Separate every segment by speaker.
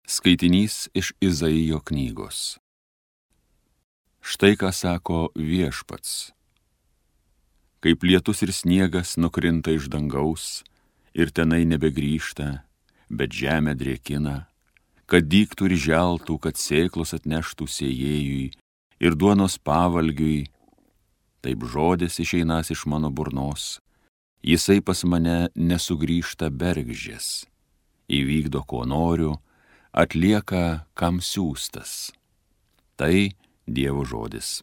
Speaker 1: Skaitinys iš Izaijo knygos. Štai ką sako Viešpats. Kaip lietus ir sniegas nukrinta iš dangaus ir tenai nebegrįžta, bet žemę drėkina, kad dygtų ir želtų, kad sėklos atneštų sėjėjui ir duonos pavalgiui, taip žodis išeinas iš mano burnos, jisai pas mane nesugrįžta bergždžias, įvykdo ko noriu, atlieka kam siųstas. Tai Dievo žodis.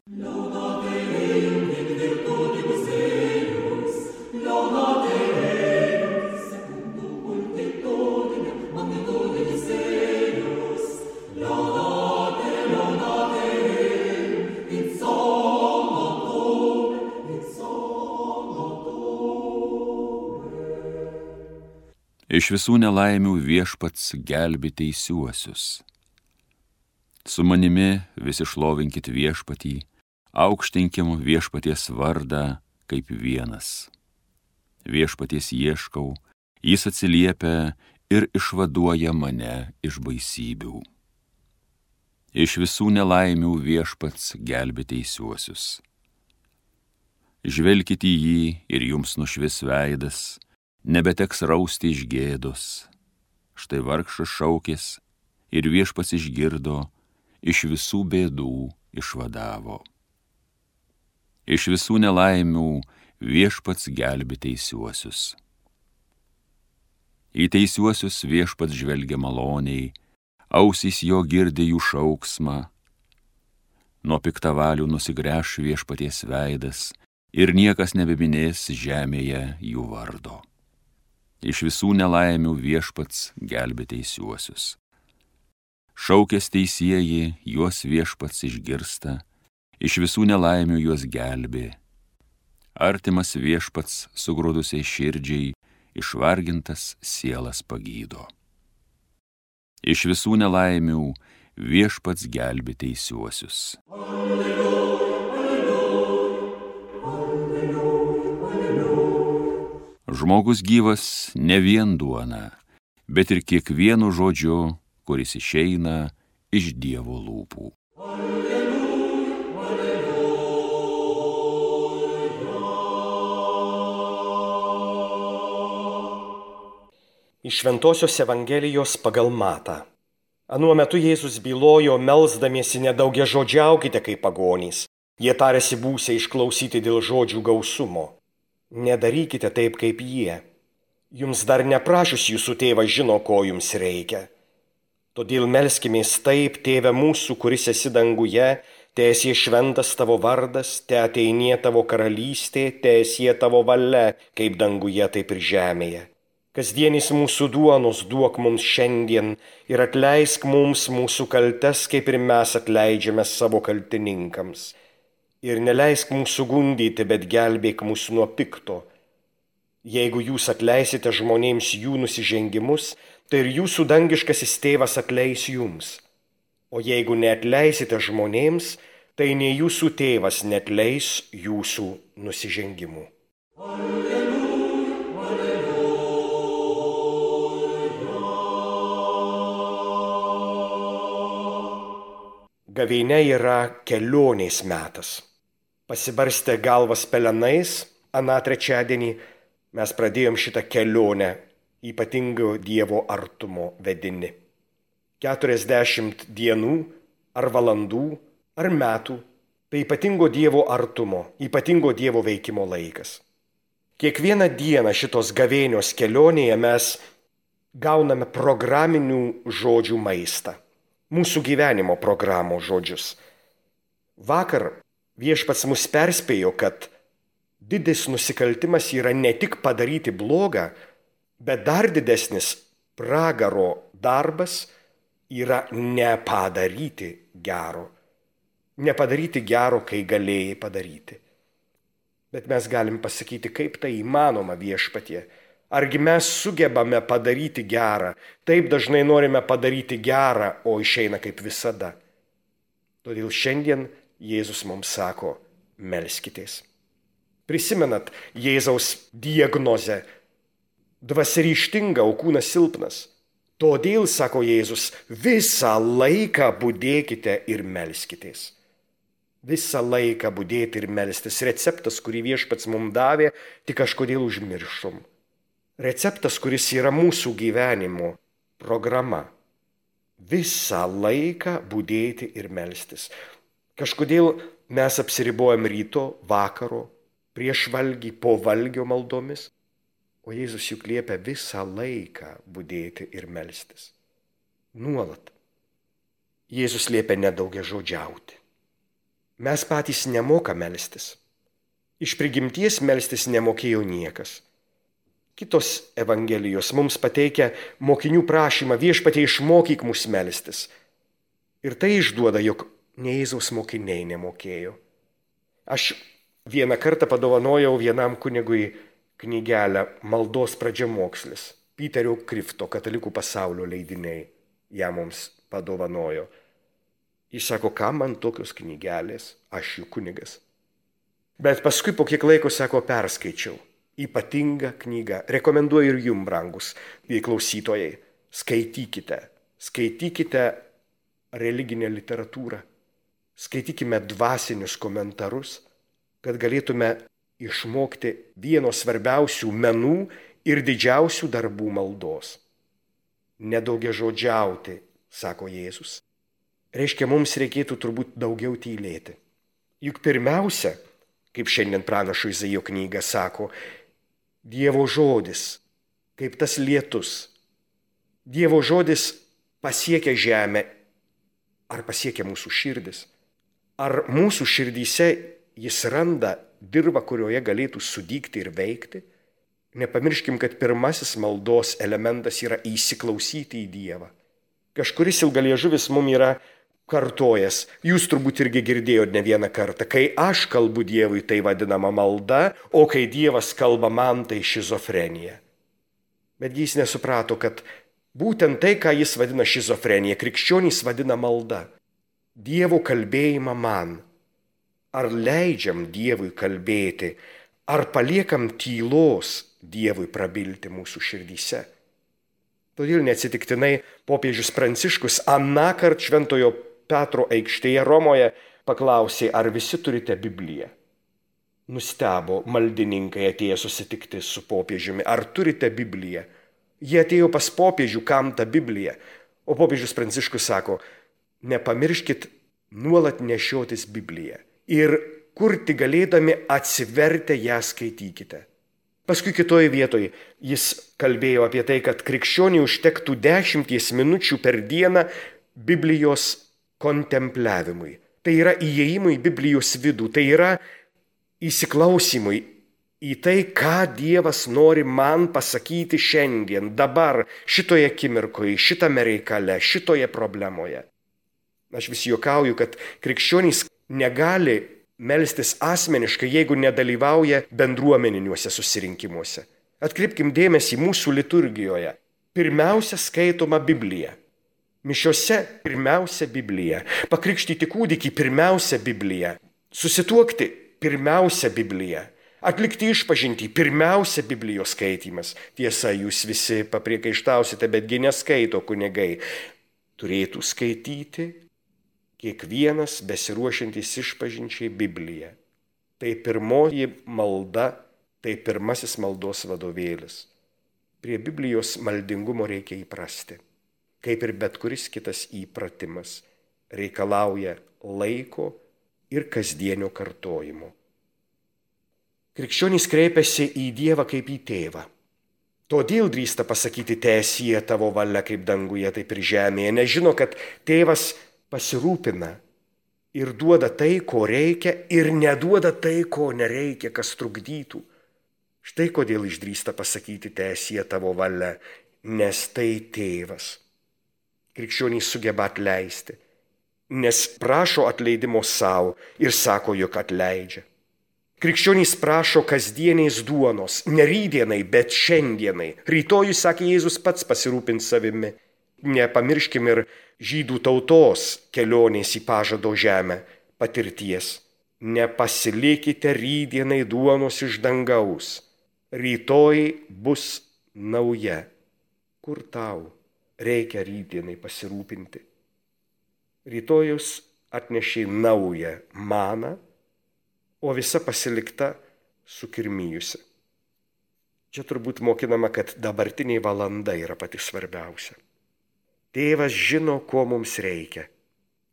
Speaker 1: Iš visų nelaimių Viešpats gelbi teisiuosius. Su manimi visi šlovinkit Viešpatį, aukštinkim Viešpaties vardą kaip vienas. Viešpaties ieškau, jis atsiliepia ir išvaduoja mane iš baisybių. Iš visų nelaimių Viešpats gelbi teisiuosius. Žvelkit į jį ir jums nušvis veidas, nebeteks rausti iš gėdos. Štai vargšas šaukės ir Viešpats išgirdo, iš visų bėdų išvadavo. Iš visų nelaimių Viešpats gelbi teisiuosius. Į teisiuosius Viešpats žvelgia maloniai, ausys jo girdi jų šauksmą. Nuo piktavalių nusigręš Viešpaties veidas ir niekas nebeminės žemėje jų vardo. Iš visų nelaimių Viešpats gelbi teisiuosius. Šaukės teisieji, juos Viešpats išgirsta, iš visų nelaimių juos gelbi. Artimas Viešpats sugrūdusiai širdžiai, išvargintas sielas pagydo. Iš visų nelaimių Viešpats gelbi teisiuosius. Žmogus gyvas ne vien duona, bet ir kiekvienu žodžiu, kuris išeina iš Dievo lūpų.
Speaker 2: Iš Šventosios Evangelijos pagal Matą. Anuo metu Jėzus bylojo, melsdamiesi nedaugiažodžiaukite kaip pagonys. Jie tarėsi būsią išklausyti dėl žodžių gausumo. Nedarykite taip kaip jie. Jums dar neprašius jūsų tėvas žino, ko jums reikia. Todėl melskimės taip, Tėve mūsų, kuris esi danguje, teesie šventas tavo vardas, teateinie tavo karalystė, teesie tavo valia, kaip danguje, taip ir žemėje. Kasdienis mūsų duonos duok mums šiandien ir atleisk mums mūsų kaltes, kaip ir mes atleidžiame savo kaltininkams. Ir neleisk mūsų gundyti, bet gelbėk mūsų nuo pikto. Jeigu jūs atleisite žmonėms jų nusižengimus, tai ir jūsų dangiškasis tėvas atleis jums. O jeigu neatleisite žmonėms, tai nei jūsų tėvas neatleis jūsų nusižengimų. Gavėnia yra kelionės metas. Pasibarstę galvas pelenais, aną trečiadienį mes pradėjom šitą kelionę ypatingo Dievo artumo vedini. 40 dienų, ar valandų, ar metų – tai ypatingo Dievo artumo, ypatingo Dievo veikimo laikas. Kiekvieną dieną šitos gavėnios kelionėje mes gauname programinių žodžių maistą, mūsų gyvenimo programos žodžius. Vakar Viešpats mus perspėjo, kad didis nusikaltimas yra ne tik padaryti blogą, bet dar didesnis pragaro darbas yra nepadaryti gero. Nepadaryti gero, kai galėjai padaryti. Bet mes galim pasakyti, kaip tai įmanoma Viešpatie. Argi mes sugebame padaryti gerą? Taip dažnai norime padaryti gerą, o išeina kaip visada. Todėl šiandien Jėzus mums sako, melskitės. Prisimenat Jėzaus diagnozę. Dvasia ryžtinga, o kūnas silpnas. Todėl, sako Jėzus, visą laiką budėkite ir melskitės. Visą laiką budėti ir melstis. Receptas, kurį Viešpats mums davė, tik kažkodėl užmiršom. Receptas, kuris yra mūsų gyvenimo programa. Visą laiką budėti ir melstis. Kažkodėl mes apsiribojam ryto, vakaro, prieš valgį, po valgio maldomis. O Jėzus juk liepia visą laiką budėti ir melstis. Nuolat. Jėzus liepia nedaugiažodžiauti. Mes patys nemoka melstis. Iš prigimties melstis nemokėjo niekas. Kitos evangelijos mums pateikia mokinių prašymą: Viešpatie, išmokyk mus melstis. Ir tai išduoda, jog ne Jėzaus mokiniai nemokėjo. Aš vieną kartą padovanojau vienam kunigui knygelę Maldos pradžiamokslis. Piterio Krifto Katalikų pasaulio leidiniai ją mums padovanojo. Jis sako, kam man tokios knygelės, aš jų kunigas. Bet paskui po kiek laiko, sako, perskaičiau. Ypatinga knyga. Rekomenduoju ir jum, brangus klausytojai. Skaitykite. Skaitykite religinę literatūrą. Skaitykime dvasinius komentarus, kad galėtume išmokti vieno svarbiausių menų ir didžiausių darbų maldos. Nedaugiažodžiauti, sako Jėzus. Reiškia, mums reikėtų turbūt daugiau tylėti. Juk pirmiausia, kaip šiandien pranašo Izaijo knyga sako, Dievo žodis, kaip tas lietus. Dievo žodis pasiekia žemę, ar pasiekia mūsų širdis. Ar mūsų širdyse jis randa dirvą, kurioje galėtų sudygti ir veikti? Nepamirškim, kad pirmasis maldos elementas yra įsiklausyti į Dievą. Kažkuris ilgaliežuvis mums yra kartojas, jūs turbūt irgi girdėjote ne vieną kartą, kai aš kalbu Dievui, tai vadinama malda, o kai Dievas kalba man, tai šizofrenija. Bet jis nesuprato, kad būtent tai, ką jis vadina šizofrenija, krikščionys vadina malda. Dievo kalbėjimą man. Ar leidžiam Dievui kalbėti, ar paliekam tylos Dievui prabilti mūsų širdyse. Todėl neatsitiktinai popiežius Pranciškus anąkart Šventojo Petro aikštėje Romoje paklausė, ar visi turite Bibliją. Nustebo maldininkai atėję susitikti su popiežiumi, ar turite Bibliją. Jie atėjo pas popiežių, kam ta Biblija. O popiežius Pranciškus sako, nepamirškit nuolat nešiotis Bibliją. Ir kur tik galėdami atsivertę ją skaitykite. Paskui kitoje vietoje jis kalbėjo apie tai, kad krikščioniui užtektų 10 minučių per dieną Biblijos kontempliavimui. Tai yra įėjimui į Biblijos vidų, tai yra įsiklausimui į tai, ką Dievas nori man pasakyti šiandien, dabar, šitoje akimirkoje, šitame reikale, šitoje problemoje. Aš vis juokauju, kad krikščionys negali melstis asmeniškai, jeigu nedalyvauja bendruomeniniuose susirinkimuose. Atkreipkim dėmesį mūsų liturgijoje. Pirmiausia skaitoma Biblija. Mišiose pirmiausia Biblija. Pakrikštyti kūdikį pirmiausia Biblija. Susituokti pirmiausia Biblija. Atlikti išpažintį pirmiausia Biblijos skaitymas. Tiesa, jūs visi papriekaištausite, betgi neskaito kunigai. Turėtų skaityti kiekvienas besiruošiantis išpažinčiai Bibliją. Tai pirmoji malda, tai pirmasis maldos vadovėlis. Prie Biblijos maldingumo reikia įprasti. Kaip ir bet kuris kitas įpratimas, reikalauja laiko ir kasdienio kartojimo. Krikščionys kreipiasi į Dievą kaip į tėvą. Todėl drįsta pasakyti, teesie tavo valia kaip danguje, taip ir žemėje, nes žino, kad tėvas pasirūpina ir duoda tai, ko reikia, ir neduoda tai, ko nereikia, kas trukdytų. Štai kodėl išdrįsta pasakyti, teesie tavo valia, nes tai tėvas. Krikščionys sugeba atleisti, nes prašo atleidimo savo ir sako, jog atleidžia. Krikščionys prašo kasdieniais duonos, ne rytdienai, bet šiandienai. Rytojui, sakė Jėzus, pats pasirūpins savimi. Nepamirškim ir žydų tautos kelionės į pažado žemę patirties. Nepasilikite rytdienai duonos iš dangaus. Rytoj bus nauja. Kur tau? reikia rytdienai pasirūpinti. Rytojus atnešė naują maną, o visa pasilikta sukirmijusi. Čia turbūt mokinama, kad dabartinė valanda yra pati svarbiausia. Tėvas žino, ko mums reikia.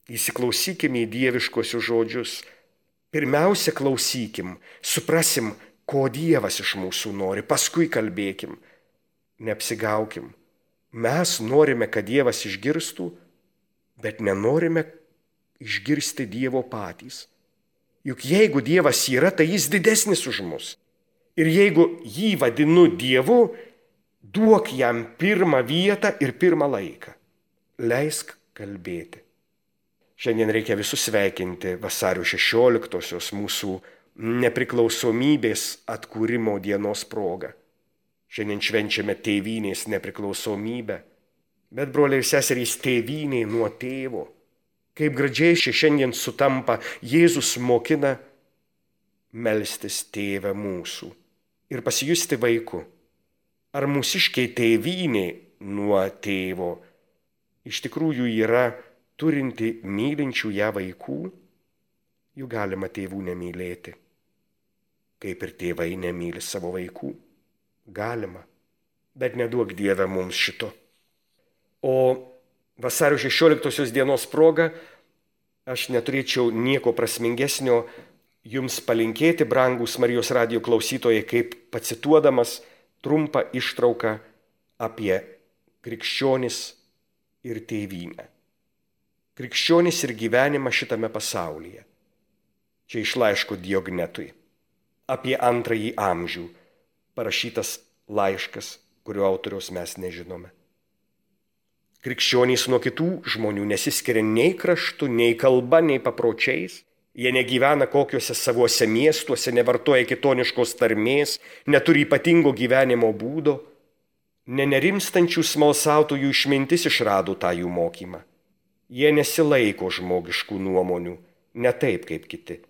Speaker 2: Įsiklausykime į dieviškosius žodžius. Pirmiausia, klausykim, suprasim, ko Dievas iš mūsų nori, paskui kalbėkim. Neapsigaukim. Mes norime, kad Dievas išgirstų, bet nenorime išgirsti Dievo patys. Juk jeigu Dievas yra, tai jis didesnis už mus. Ir jeigu jį vadinu Dievu, duok jam pirmą vietą ir pirmą laiką. Leisk kalbėti. Šiandien reikia visus sveikinti vasario 16-osios mūsų nepriklausomybės atkūrimo dienos proga. Šiandien švenčiame tėvynės nepriklausomybę, bet broliai ir seserys, tėvynė nuo tėvo. Kaip gražiai šiandien sutampa, Jėzus mokina melstis Tėve mūsų ir pasijusti vaiku. Ar mūsiškiai tėvynė nuo tėvo iš tikrųjų yra turinti mylinčių ją vaikų? Jų galima tėvų nemylėti, kaip ir tėvai nemyli savo vaikų. Galima, bet neduok Dieve mums šito. O vasario 16-osios dienos proga aš neturėčiau nieko prasmingesnio jums palinkėti, brangūs Marijos radijo klausytojai, kaip pacituodamas trumpą ištrauką apie krikščionis ir tėvynę. Krikščionis ir gyvenimą šitame pasaulyje. Čia iš laiško Diognetui. Apie 2 amžių parašytas laiškas, kurio autoriaus mes nežinome. Krikščionys nuo kitų žmonių nesiskiria nei kraštu, nei kalba, nei papročiais. Jie negyvena kokiuose savuose miestuose, nevartoja kitoniškos tarmės, neturi ypatingo gyvenimo būdo. Nenerimstančių smalsautojų išmintis išrado tą jų mokymą. Jie nesilaiko žmogiškų nuomonių, ne taip kaip kiti.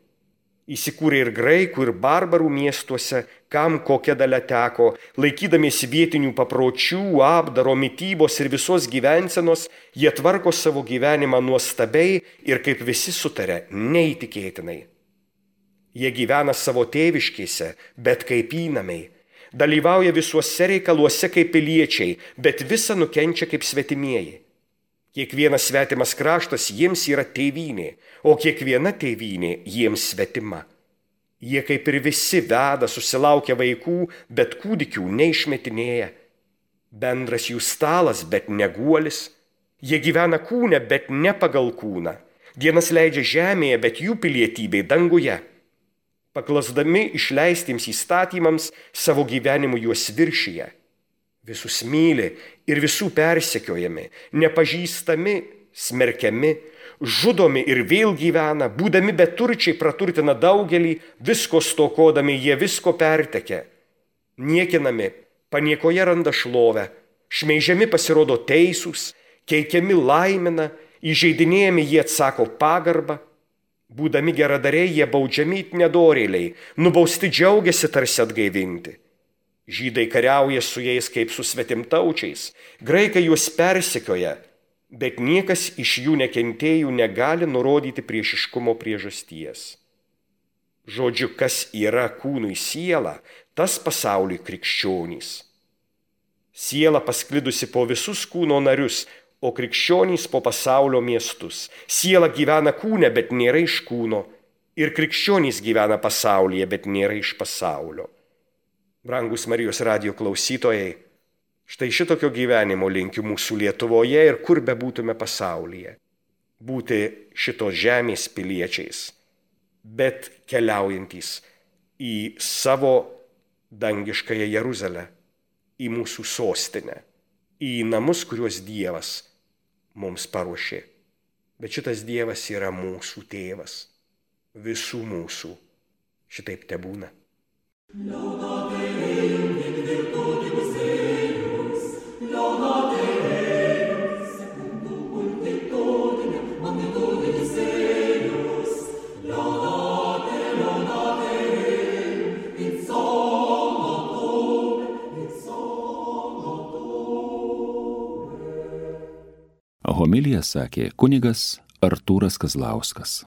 Speaker 2: Įsikūrė ir graikų, ir barbarų miestuose, kam kokia dalia teko, laikydamiesi vietinių papročių, apdaro, mitybos ir visos gyvensenos, jie tvarko savo gyvenimą nuostabiai ir kaip visi sutarė, neįtikėtinai. Jie gyvena savo tėviškėse, bet kaip įnamiai, dalyvauja visuose reikaluose kaip piliečiai, bet visa nukenčia kaip svetimieji. Kiekvienas svetimas kraštas jiems yra tėvynė, o kiekviena tėvynė jiems svetima. Jie kaip ir visi veda, susilaukia vaikų, bet kūdikių neišmetinėja. Bendras jų stalas, bet ne guolis. Jie gyvena kūne, bet ne pagal kūną. Dienas leidžia žemėje, bet jų pilietybė danguje. Paklasdami išleistiems įstatymams, savo gyvenimu juos viršyje. Visus myli ir visų persekiojami, nepažįstami, smerkiami, žudomi ir vėl gyvena, būdami beturčiai praturtina daugelį, visko stokodami jie visko pertekia. Niekinami, paniekoje randa šlovę, šmeižiami pasirodo teisūs, keikiami laimina, įžeidinėjami jie atsako pagarbą, būdami geradariai jie baudžiami it nedorėliai, nubausti džiaugiasi tarsi atgaivinti. Žydai kariauja su jais kaip su svetimtaučiais, graikai juos persekioja, bet niekas iš jų nekentėjų negali nurodyti priešiškumo priežasties. Žodžiu, kas yra kūnui siela, tas pasauliui krikščionys. Siela pasklidusi po visus kūno narius, o krikščionys po pasaulio miestus. Siela gyvena kūne, bet nėra iš kūno, ir krikščionys gyvena pasaulyje, bet nėra iš pasaulio. Brangus Marijos radijo klausytojai, štai šitokio gyvenimo linkiu mūsų Lietuvoje ir kur bebūtume pasaulyje. Būti šitos žemės piliečiais, bet keliaujantys į savo dangiškąją Jeruzalę, į mūsų sostinę, į namus, kuriuos Dievas mums paruošė. Bet šitas Dievas yra mūsų tėvas, visų mūsų. Šitaip tebūna. Laudate Deum in virtutibus eius, laudate Deus, secundum victorinem, magnitudinem eius, laudate Deum, in somno Domine,
Speaker 1: Homiliją sakė kunigas Artūras Kazlauskas.